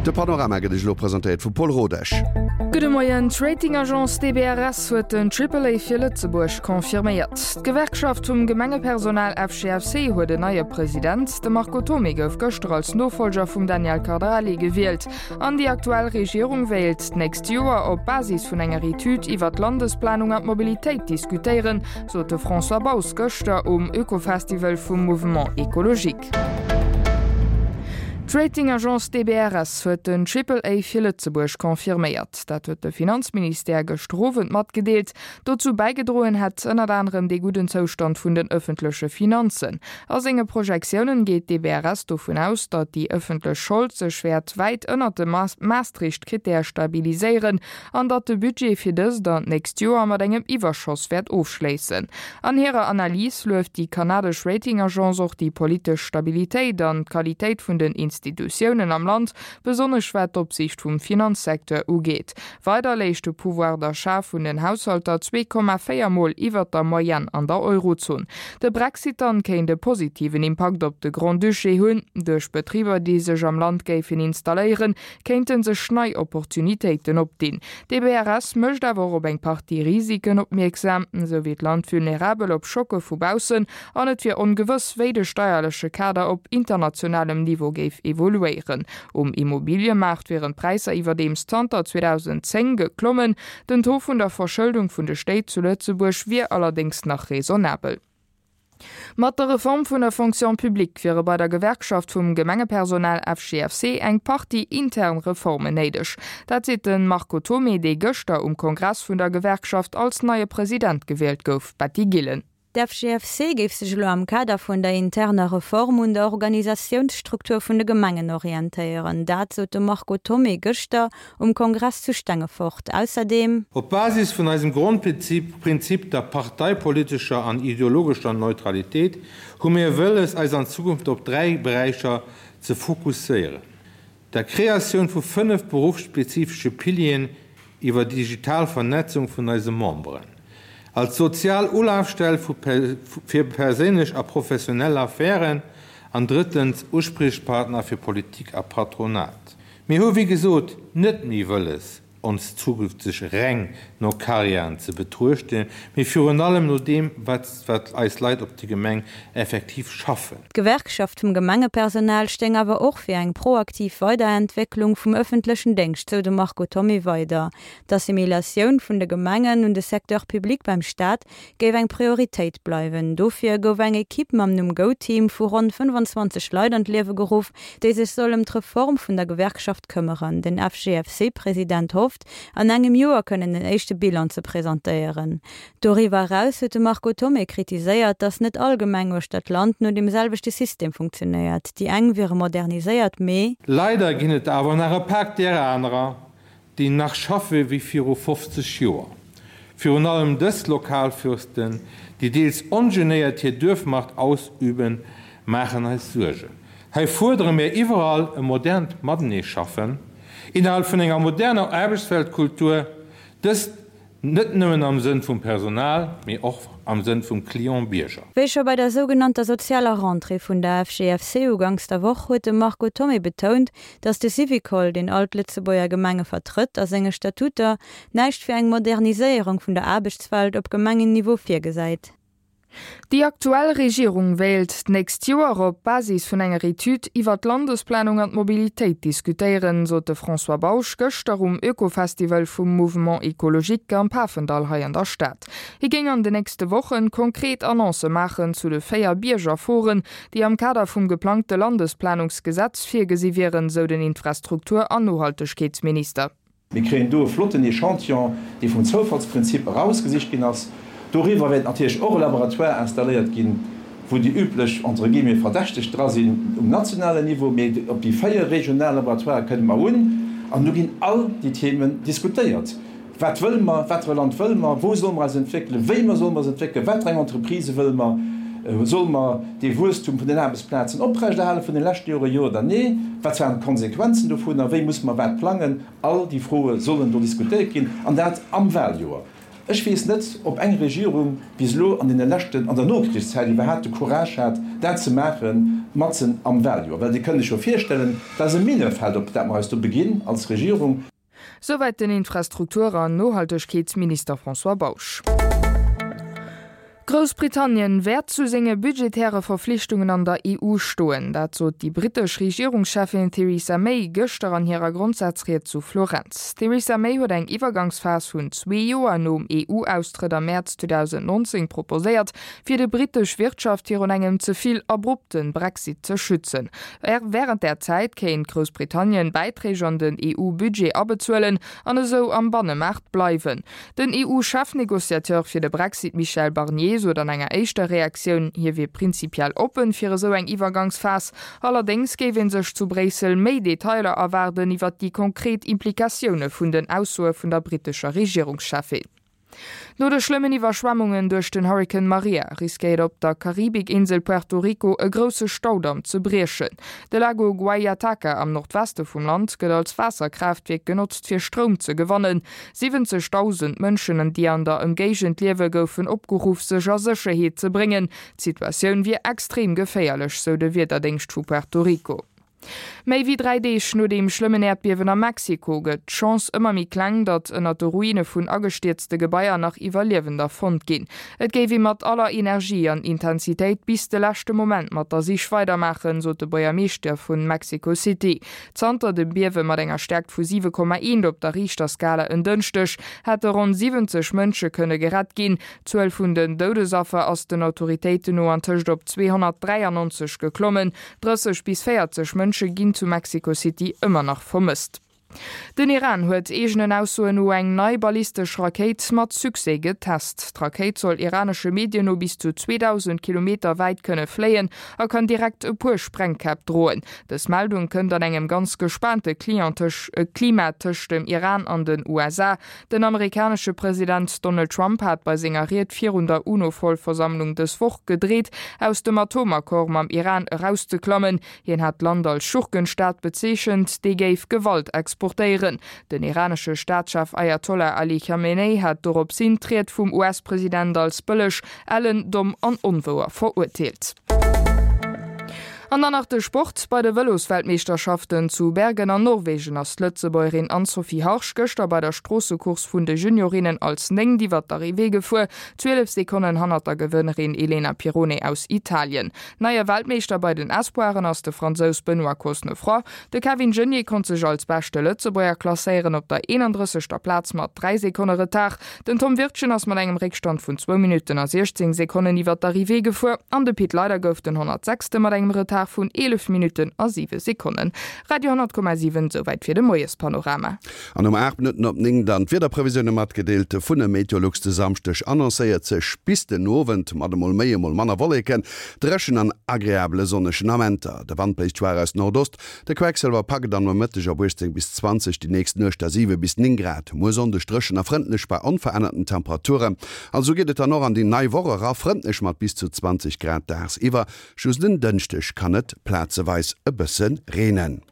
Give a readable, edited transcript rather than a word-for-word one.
De Panorama gëtt Iech elo presentéiert vum Paul Rodesch. Gudde Moien, D'Rating-Agence DBRS huet den Triple A fir Lëtzebuerg confirméiert. D'Gewerkschaft vum Gemengepersonal FGFC huet en neie President. De Marco Thomé gouf gëschter als Nofollger vum Daniel Cardarelli gewielt. An déi aktuell Regierung wéilt d'nächst Joer op Basis vun enger Etüd iwwer d'Landesplanung an d'Mobilitéit diskutéieren, sot de François Baus gëschter um Oekofestival vum Mouvement Ecologique. D'Rating-Agence DBRS huet den Triple A fir Lëtzebuerg confirméiert. Dat huet de Finanzministère gëschter Owend matgedeelt. Dozou bäigedroen hätt ënnert anerem dee gudden Zoustand vun den ëffentleche Finanzen. A senge Projektiounen geet d'DBRS dovun aus, datt déi ëffentlech Schold sech wäert wäit ënnert de Maastricht-Krittäre stabiliséieren an datt de Budget fir dëst an d'nächst Joer mat engem Iwwerschoss wäert ofschléissen. An hirer Analys lueft déi kanadesch Rating-Agence och déi politesch Stabilitéit an d'Qualitéit vun den Institutiounen am Land, besonnesch wat d'Opsiicht vum Finanzsecteur ugeet. Weider léich de Pouvoir d'achat vun den Haushalter 2,4 Mol iwwert der Moyenne an der Eurozon. De Brexit dann kéint e positiven Impakt op de Grand-Duché hunn. Duerch Betriber, déi sech am Land géifen installéieren, kéinte sech nei Opportunitéiten opdinn. D'EBRS mécht awer och op eng Partie Risiken opmierksam, Esou wier d'Land vulnerabel op Schocke vu baussen an et wier ongewëss, wéi de steierleche Kader op internationalem Niveau géif evoluéieren. Um Immobiliëmaart wieren d'Präisser iwwerdeems zanter 2010 geklommen. Den Taux vun der Verschëldung vun de Stéit zu Lëtzebuerg wier allerdéngs nach raisonnabel. Mat der Reform vun der Fonction publique wiere bei der Gewerkschaft vum Gemengepersonal FGFC eng Partie intern Reformen néideg. Dat seet de Marco Thomé, dee gëschter um Kongress vun der Gewerkschaft als neie President gewielt gouf. Betty Gillen. D'FGFC géif sech elo am Kader vun der interner Reform un der Organisatiounsstruktur vun de Gemengen orientéieren. Dat sot de Marco Thomé gëschter um Kongress zu Stengefort. Ausserdeem. Op Basis vun eisem Grondprinzip, der parteipolitescher an ideologescher Neutralitéit, hu mir wëlles, eis an Zukunft op 3 Beräicher ze fokusséieren, der Kreatioun vu 5 beruffsspezifesche Pilieren iwwer digital Vernetzung vun eise Memberen, als sozial Ulafstell fir perséinlech a professionell Affären an drëttens Uspriechpartner fir Politik a Patronat. Mir hu wéi gesot net méi wëlles, ons zukünfteg reng no Karriären ze betruechten, mee virun allem no deem, wat wat eis Leit op de Gemeng effektiv schaffen. D'Gewerkschaft vum Gemengepersonal stéing awer och fir eng proaktiv Weiderentwécklung vum ëffentlechen Déngscht, sou de Marco Thomé weider. D'Assimilatioun vun de Gemengen un de Secteur public beim Staat géif eng Prioritéit bleiwen. Dofir gouf eng Ekipp mam Numm Go-Team vu ronn 25 Leit an d'Liewe geruff, déi sech soll ëm d'Reform vun der Gewerkschaft këmmeren. Den FGFC-President hofft, an engem Joer kënnen en éischte Bilan ze presentéieren. Doriwwer eraus huet de Marco Thomé kritiséiert, datt net all Gemeng uechter d'Land no deem selwechte System funktionéiert. Déi eng wiere moderniséiert, mee. Leider ginn et awer nach e pak där anerer, déi nach schaffe wéi viru 50 Joer. Virun allem dës Lokalfürsten, déi deels ongenéiert hir Duerfmacht ausüben, maachen eis Suergen. Hei fuerdere mir iwwerall e modernt Matenee-Schaffen innerhalb vun enger moderner Aarbechtsweltkultur, dëst Net nëmmen am Sënn vum Personal, mee och am Sënn vum Client-Bierger. Wéi scho bei der sougenannter sozialer Rentrée vun der FGFC uganks der Woch huet de Marco Thomé betount, datt de Syvicol, deen all d'Lëtzebuerger Gemenge vertrëtt, a senge Statuter näischt fir eng Moderniséierung vun der Aarbechtswelt op Gemengenniveau virgesäit. Déi aktuell Regierung wéilt d'nächst Joer op Basis vun enger Etüd iwwer d'Landesplanung an d'Mobilitéit diskutéieren, sot de François Bausch gëschter um Oekofestival vum Mouvement Ecologique am Pafendall hei an der Stad. Hie géing an de nächste Wochen konkret Annoncë maachen zu de 4 Biergerforen, déi am Kader vum geplangte Landesplanungsgesetz virgesi wieren, sou den Infrastruktur an Nohaltegkeetsminister. Mir kréien do e flotten Echantillon, dee vum Zoufallsprinzip erausgesicht ginn ass. Doriwwer wäert natierlech och e Laboratoire installéiert ginn, wou déi üblech, entre guillemets, Verdächteg dra sinn um nationalen Niveau. Mee op déi 4 regional Laboratoirë kënne mer un an do ginn all déi Themen diskutéiert. Wat wëlle mer? Wat fir e Land wëlle mer? Wou solle mer eis entwéckelen? Wéi mer solle mer eis entwéckelen? Wat fir eng Entreprisë wëlle mer? Solle mer dee Wuesstum vun den Aarbechtsplazen oprechterhale vun de leschte Jore, jo oder nee? Wat waren d'Konsequenzen dovunner? Wéi musse mer wat plangen? All déi Froe sollen do diskutéiert ginn, an dat am Wahljoer. Ech weess net, ob eng Regierung bis elo an deene leschten, an der Nokrichszäit iwwerhaapt de Courage hat, dat ze maachen. matzen am Wahljoer. Well Dir kënnt lech jo virstellen, dat ass e Minefeld, op dat mer eis do beginn als Regierung. Souwäit den Infrastruktur an Nohaltegkeetsminister François Bausch. Groussbritannien wäert zu senge budgetäre Verflichtungen an der EU stoen. Dat sot déi brittesch Regierungscheffin Theresa May gëschter an hirer Grondsazried zu Florenz. D'Theresa May huet eng Iwwergangsphas vun zwee Joer nom EU-Austrëtt am Mäerz 2019 proposéiert, fir de brittesch Wirtschaft virun engem ze vill abrupte Brexit ze schützen. Wärend där Zäit kéint Groussbritannien Bäiträg an den EU-Budget abezuelen an esou am Bannemaart bleiwen. Den EU-Chefnegociateur fir de Brexit Michel Barnier sot an enger éischter Reaktioun, hie wier prinzipiell oppen fir esou eng Iwwergangsphas. Allerdéngs géif ee sech zu Bréissel méi Detailer erwaarden iwwer déi konkret Implikatioune vun den Aussoe vun der brittescher Regierungscheffin. No de schlëmmen Iwwerschwemmungen duerch den Hurrikan Maria riskéiert op der Karibikinsel Puerto Rico e grousse Staudamm ze briechen. De Lago Guayataca am Nordweste vum Land gëtt als Waasserkraaftwierk genotzt fir Stroum ze gewannen. 70.000 Mënschen, déi an der Ëmgéigend liewe goufen opgeruff sech a Sécherheet ze bréngen. D'Situatioun wier extrem geféierlech, sou de Wiederdéngscht vu Puerto Rico. Méi wéi 3 Deeg no deem schlëmmen Äerdbiewen a Mexiko gëtt d'Chance ëmmer méi kleng, datt ënnert de Ruine vun agestierzte Gebaier nach Iwwerliewender fonnt ginn. Et géif ee mat aller Energie an Intensitéit bis de leschte Moment mat der Sich weidermaachen, sot de Buergermeeschter vun Mexico City. Zanter dem Biewe mat enger Stäerkt vu 7,1 op der Richterskala en Dënschdeg hätte ronn 70 Mënsche kënne gerett ginn. D'Zuel vun den Doudesaffer ass den Autoritéiten no antëscht op 293 geklommen. 30 bis 40 Mënsche ginn zu Mexico City ëmmer nach vermësst. Den Iran huet eegenen Aussoen no eng nei ballistesch Rakéit mat Succès getest. D'Rakéit soll iranesche Medien no bis zu 2.000 Kilometer wäit kënne fléien a kann direkt e puer Sprengkäpp droen. Dës Meldung kënnt an engem ganz gespaante Klima tëscht dem Iran an den USA. Den amerikanesche President Donald Trump hat bei senger Ried virun der UNO-Vollversammlung dës Woch gedreet, aus dem Atomaccord mam Iran erauszeklammen. Hien hat d'Land als Schurkenstaat bezeechent, dee géif Gewalt exportéieren. Den iranesche Staatschef Ayatollah Ali Khamenei hat doropshin d'Ried vum US-President als bëlleg, ellen, domm an onwouer verurteelt. An dann nach de Sport, Bei de Vëlosweltmeeschterschaften zu Bergen an Norwegen ass d'Lëtzebuergerin Anne-Sophie Harsch gëschter bei der Stroossecourse vun de Juniorinnen als Néngt iwwer d'Arrivée gefuer, 12 Sekonnen hannert der Gewënnerin Elena Pirrone aus Italien. Neie Weltmeeschter bei den Espoiren ass de Fransous Benoît Cosnefroy. De Kevin Geniets konnt sech als beschte Lëtzebuerger klasséieren op der 31. Plaz mat 3 Sekonne Retard. Den Tom Wirtgen ass mat engem Réckstand vun zwou Minutten a 16 Sekonnen iwwer d'Arrivée gefuer an de Pit Leyder gouf den 106. Mat engem Retard vun 11 Minutten a 7 Sekonnen. Radio 10,7, Souwäit fir de Moiespanorama. An um 8 Minutten op 9 dann d'Wiederprevisioune matgedeelt vun e Meteolux. De Samschdeg annoncéiert sech bis den Owend mat emol méi, emol manner Wolleken, dréchen an agreabele sonnegen Amenter. De Wand bléist schwaach aus Nordost, De Quecksëlwer packt et am Nomëtteg op 18 bis 20, déi nächst Nuecht da 7 bis 9 Grad. Muer Sonndeg dréchen a frëndlech bei onverännerten Temperaturen. An esou geet et dann och an déi nei Woch era, frëndlech mat bis zu 20 Grad dagsiwwer. Just en Dënschdeg kann et plazeweis e bësse reenen.